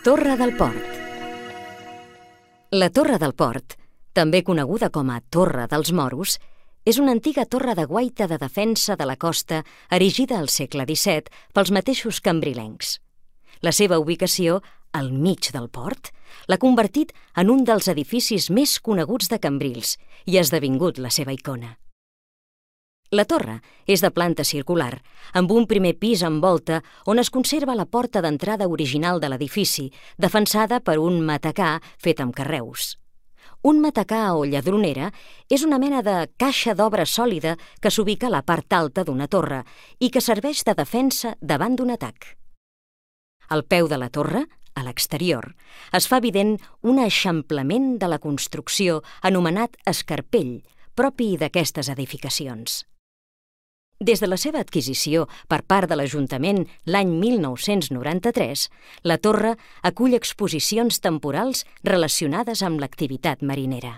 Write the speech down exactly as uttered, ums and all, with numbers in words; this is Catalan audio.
Torre del Port. La Torre del Port, també coneguda com a Torre dels Moros, és una antiga torre de guaita de defensa de la costa erigida al segle disset pels mateixos cambrilencs. La seva ubicació, al mig del port, l'ha convertit en un dels edificis més coneguts de Cambrils i ha esdevingut la seva icona. La torre és de planta circular, amb un primer pis amb volta on es conserva la porta d'entrada original de l'edifici, defensada per un matacà fet amb carreus. Un matacà o lladronera és una mena de caixa d'obra sòlida que s'ubica a la part alta d'una torre i que serveix de defensa davant d'un atac. Al peu de la torre, a l'exterior, es fa evident un eixamplament de la construcció anomenat escarpell, propi d'aquestes edificacions. Des de la seva adquisició per part de l'Ajuntament l'any mil nou-cents noranta-tres, la torre acull exposicions temporals relacionades amb l'activitat marinera.